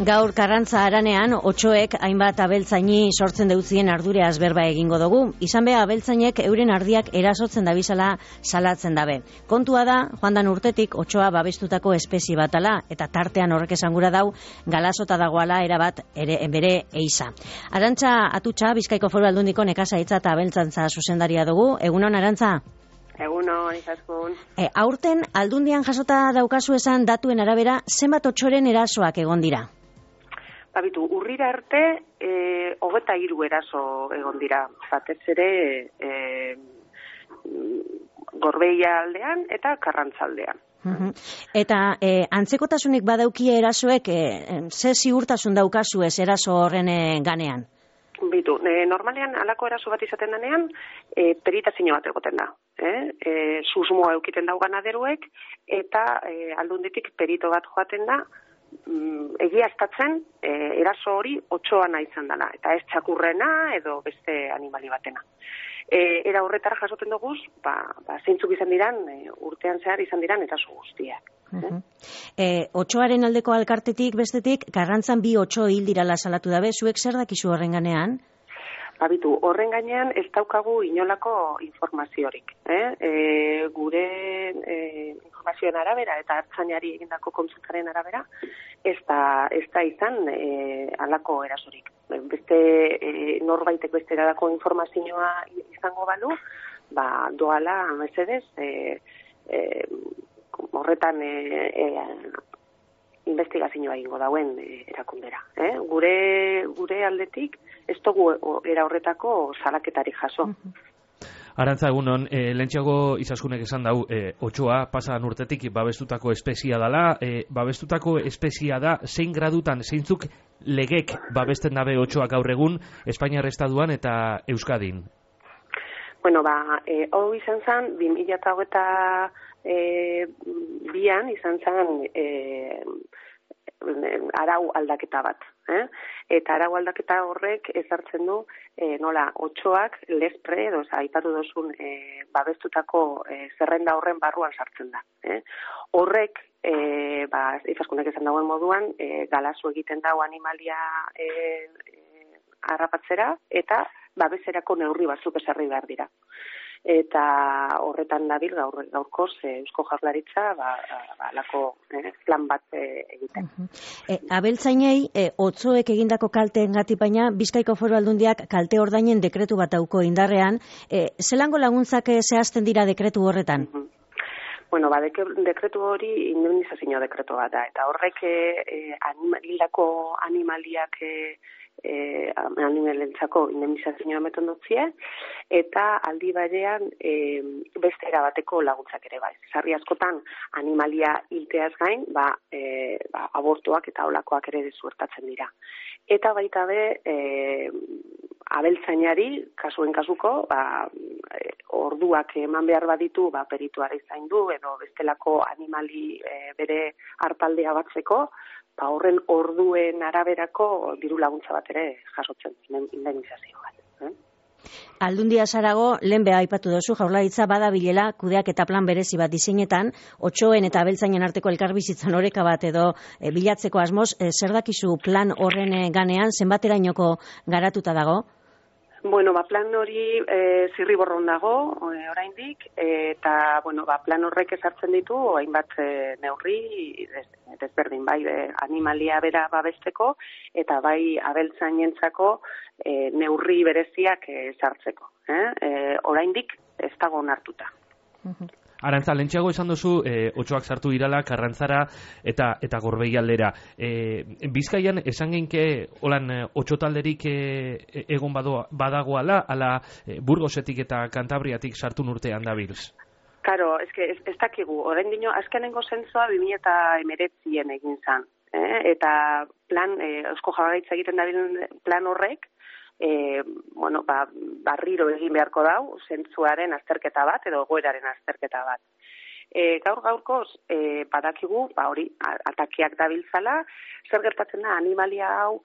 Gaur Karrantza Haranean, otsoek hainbat abeltzaini sortzen deutzien ardureaz berba egingo dugu. Izan be, abeltzainek euren ardiak erasotzen dabizala salatzen dabe. Kontua da, joandan urtetik otsoa babestutako espezie bat ala, eta tartean horrek esangura dau, galasota dagoala erabat bere eiza. Arantza Atutxa, Bizkaiko Foru Aldundiko nekazaritza eta abeltzantza zuzendaria dugu. Egunon, Arantza? Egunon, izaskun. Aurten, Aldundian jasota daukazu esan datuen arabera, zenbat otsoren erasoak egon dira? Babitu, urrira arte, 23 eraso egon dira. Batez ere, Gorbeia aldean eta Karrantza aldean. Eta antzekotasunik badaukie erasoek, ze ziurtasun daukazu ez eraso horren ganean? Bitu, normalean alako eraso bat izaten denean, peritazio bat egoten da. Susmoa eukiten dau ganaderuek, eta aldunditik perito bat joaten da, egiaztatzen eraso hori otsoana izan dela, eta ez txakurrena edo beste animali batena. Era horretara jasoten duguz, zeintzuk izan diran, urtean zehar izan diran eraso guztiak. Otsoaren aldeko alkartetik, bestetik, Karrantzan 2 otso hil dirala salatu dabe, zuek zer dakizu horren ganean? Babitu, horren gainean ez daukagu inolako informaziorik. Gure informazioen arabera eta hartzainari egindako kontsultaren arabera, ez da izan halako erasorik. Beste norbaitek beste eralako informazioa izango balu, doala mesedez horretan investigazioa egingo dauen erakundera. Gure aldetik ez dugu era horretako salaketarik jaso. Arantza, egunon, lehentxeago Izaskunek esan dau, otsoa pasadan urtetik babestutako espeziea dela, babestutako espeziea da, zein gradutan, zeintzuk legek babesten dabe otsoak gaur egun, Espainiar Estatuan eta Euskadin? Bueno, hau izan zen, 2022an izan zen arau aldaketa bat. Eta arau aldaketa horrek ezartzen du nola otsoak lespre edo aipatu dozun babestutako zerrenda horren barruan sartzen da. Horrek, Izaskunek esan dagoen moduan, galasu egiten dago animalia harrapatzera eta babeserako neurri batzuk ezarri behar dira. Eta horretan dabil gaurkoz Eusko Jaurlaritza alako plan bat egiten. Abeltzainei otsoek egindako kalteengatik baina Bizkaiko Foru Aldundiak kalte ordainen dekretu bat dauko indarrean, zelango laguntzak zehazten dira dekretu horretan? Bueno, dekretu hori indemnizazio dekretu bat da, eta horrek hildako animaliak animalentzako indemnizazioa ematen dutzie, eta aldi barean beste erabateko laguntzak ere bai. Sarri askotan animalia hilteaz gain, abortuak eta olakoak ere desuertatzen dira. Eta baita be, abeltzainari, kasuen kasuko, orduak eman behar baditu, perituara zaindu edo bestelako animali bere hartaldea batzeko, horren orduen araberako diru laguntza bat ere jasotzen, indemnizazio bat. Aldundia Sarago, lehen beha aipatu dozu, Jaurlaritza badabilela kudeak eta plan berezi bat diseinetan, otsoen eta abeltzainen arteko elkarbizitzan oreka bat edo bilatzeko asmoz, zer dakizu plan horren ganean, zenbaterainoko garatuta dago? Bueno, plan hori zirriborron dago, oraindik, eta plan horrek ezartzen ditu, hainbat neurri desberdin, bai animalia bera babesteko, eta bai abeltzainentzako neurri bereziak ezartzeko. Oraindik ez dago onartuta. Arantza, lehentxeago esan duzu, otsoak sartu dirala, Karrantzara eta Gorbeia aldera. Bizkaian, esan genke, holan, otsotalderik egon badagoala, ala Burgosetik eta Kantabriatik sartu urtean dabilz? Karo, ez dakigu, orain dino, azkenengo zentzua 2019 egin zan. Eta plan, Eusko Jaurlaritza egiten dabilen plan horrek, barriro egin beharko dau, zentzuaren azterketa bat edo egoeraren azterketa bat. Gaurkoz, badakigu, hori, atakiak dabiltzala, zer gertatzen da, animalia hau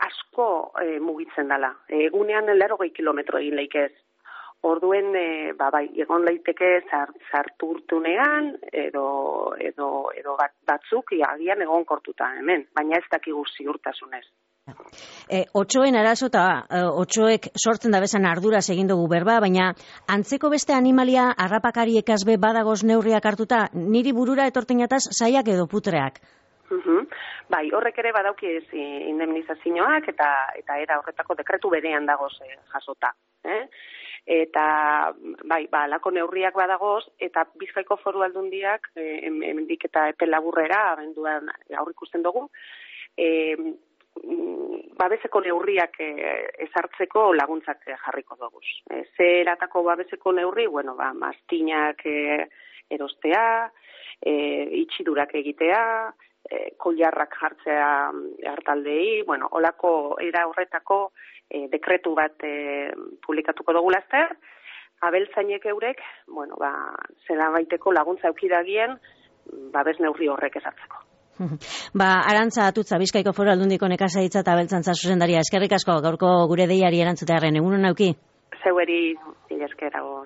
asko mugitzen dela. Egunean 80 kilometro egin leikez. Orduen, bai, egon leiteke sarturtunean edo batzuk agian egon kortuta hemen, baina ez dakigu ziurtasunez. Otsoen arazo eta otsoek sortzen da bezan arduraz egin dugu berba, baina antzeko beste animalia harrapakariekaz be badagoz neurriak hartuta, niri burura etortenataz saiak edo putreak. Bai, horrek ere badauki indemnizazioak eta era horretako dekretu berean dagoz jasota. Eta, bai, alako neurriak badagoz, eta Bizkaiko Foru Aldundiak, hemendik eta epe laburrera, abenduan aurrikusten dugu, babeseko neurriak ezartzeko laguntzak jarriko dugu. Ze eratako babeseko neurri, mastinak erostea, itxidurak egitea, koilarrak jartzea hartaldei, olako era horretako dekretu bat publikatuko dugu laster, abeltzainek eurek, zela baiteko laguntza eukidagien, babes neurri horrek ezartzeko. Arantza Atutza, Bizkaiko Foru Aldundiko nekazaritza eta abeltzantza zuzendaria, eskerrik asko gaurko gure deiari erantzutearen, egunon nauki? Zeueri, mila esker agur.